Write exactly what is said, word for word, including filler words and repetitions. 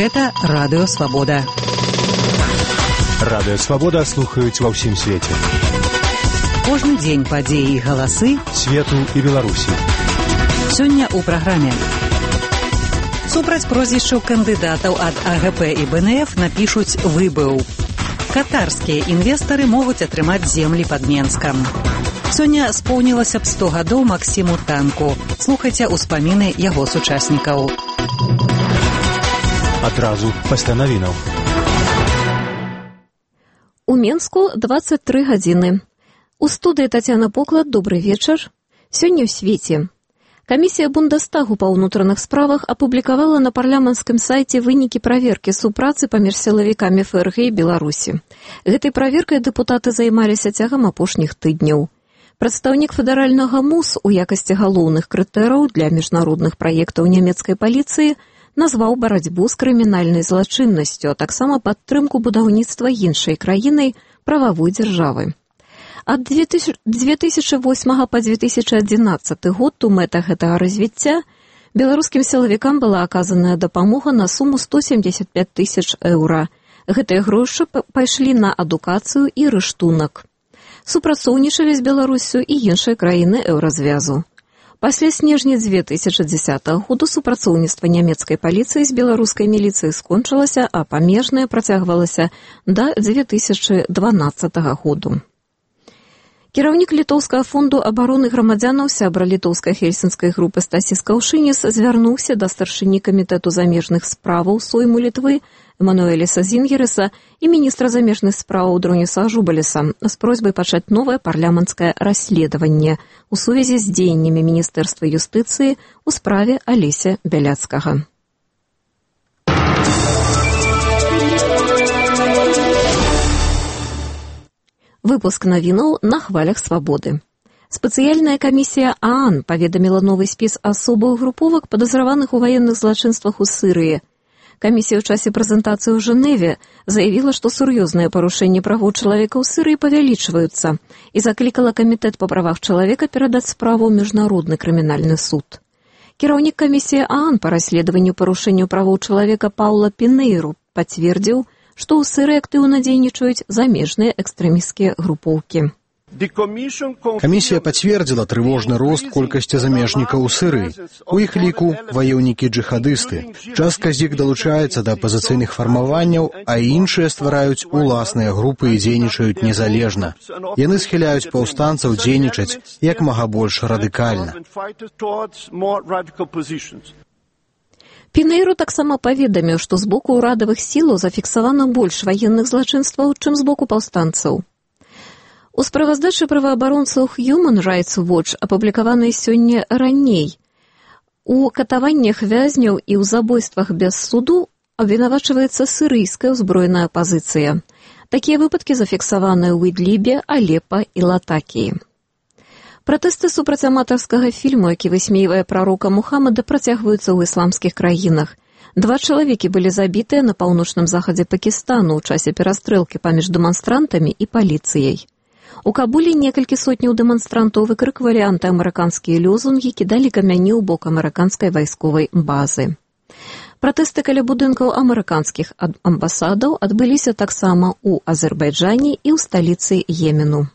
Гэта Радыё Свабода. Радыё Свабода слухаюць ва ўсім свеце. Кожны дзень падзеі і галасы свету і Беларусі. Сёння ў праграме. Супраць прозвішчаў кандыдатаў ад А Гэ Пэ і Бэ Эн Эф напішуць «выбыў». Катарскія інвестары могуць атрымаць землі пад Менскам. Сёння споўнілася б сто гадоў Максіму Танку. Слухайце ўспаміны яго сучаснікаў. Адразу пасля навінаў. У Менску дваццаць тры гадзіны. У студыі Тацяна Поклад, добры вечар. Сёння ў свеце. Камісія Бундестагу па ўнутраных справах апублікавала на парламенцкім сайце вынікі праверкі супрацы паміж сілавікамі Эф Эр Гэ і Беларусі. Гэтай праверкай дэпутаты займаліся цягам апошніх тыдняў. Прадстаўнік федэральнага МУС у якасці галоўных крытэраў для міжнародных праектаў нямецкай паліцыі назваў барацьбу з крымінальнай злачыннасцю, а таксама падтрымку будаўніцтва іншай краінай прававой дзяржавы. Ад дзве тысячы восьмага па дзве тысячы адзінаццаты год у мэтах гэтага развіцця беларускім сілавікам была аказаная дапамога на суму сто семьдесят пять тысяч еўра. Гэтыя грошы пайшлі на адукацыю і рыштунак. Супрацоўнічалі з Беларусю і іншыя краіны еўразвязу. Пасля снежня дзве тысячы дзесятага году супрацоўніцтва нямецкай паліцыі з беларускай міліцыяй скончылася, а памежнае працягвалася да дзве тысячы дванаццатага году. Кіраўнік літоўскага фонду абароны грамадзянаў, сябра літоўскай хельсінскай групы Стасіс Каўшыніс звярнуўся да старшыні камітэту замежных справаў Сойму Літвы Эмануэліса Зінгереса і міністра замежных справаў Дроніса Ажубаліса з просьбай пачаць новае парламенцкае расследаванне у сувязі з дзеяннямі Міністэрства юстыцыі ў справе Алеся Бяляцкага. Выпуск навінаў на хвалях свабоды. Спецыяльная камісія А А Н паведаміла новы спіс асобаў груповак, падазраваных у ваенных злачынствах у Сырыі. Камісія ў часе прэзентацыі ў Жэневе заявіла, што сур'ёзныя парушэнні правоў чалавека ў Сырыі павялічваюцца і заклікала камітэт па правах чалавека перадаць справу ў міжнародны крымінальны суд. Кіраўнік камісіі А А Н па расследаванню парушэнняў правоў чалавека Паўла Пінейру пацвердзіў, што ў Сырыі актыўна дзейнічаюць замежныя экстрэмісцкія групоўкі. Камісія пацвердзіла трывожны рост колькасці замежнікаў у Сырыі. У іх ліку ваёўнікі-джыхадысты. Частка з іх далучаецца да апазіцыйных фармаванняў, а іншыя ствараюць уласныя групы і дзейнічаюць незалежна. Яны схіляюць паўстанцаў дзейнічаць як мага больш радыкальна. Пінейру таксама паведаміў, што з боку ўрадавых сілаў зафіксавана больш ваенных злачынстваў, чым з боку паўстанцаў. У справаздачы праваабаронцаў Human Rights Watch, апублікаванай сёння раней, у катаваннях вязняў і ў забойствах без суду абвінавачваецца сірыйская ўзброеная апазіцыя. Такія выпадкі зафіксаваныя ў Ідлібе, Алепа і Латакіі. Пратэсты супраць аматарскага фільму, які высмейвае прарока Мухаммада, працягваюцца ў ісламскіх краінах. Два чалавекі былі забітыя на паўночным захадзе Пакістану ў часе перастрэлкі паміж дэманстрантамі і паліцыяй. У Кабулі некалькі сотняў дэманстрантаў выкрыквалі антыамерыканскія лёзунгі, кідалі камяні ў бок амерыканскай вайсковай базы. Пратэсты каля будынкаў амерыканскіх амбасадаў адбыліся таксама ў Азербайджане і ў сталіцы Йемену.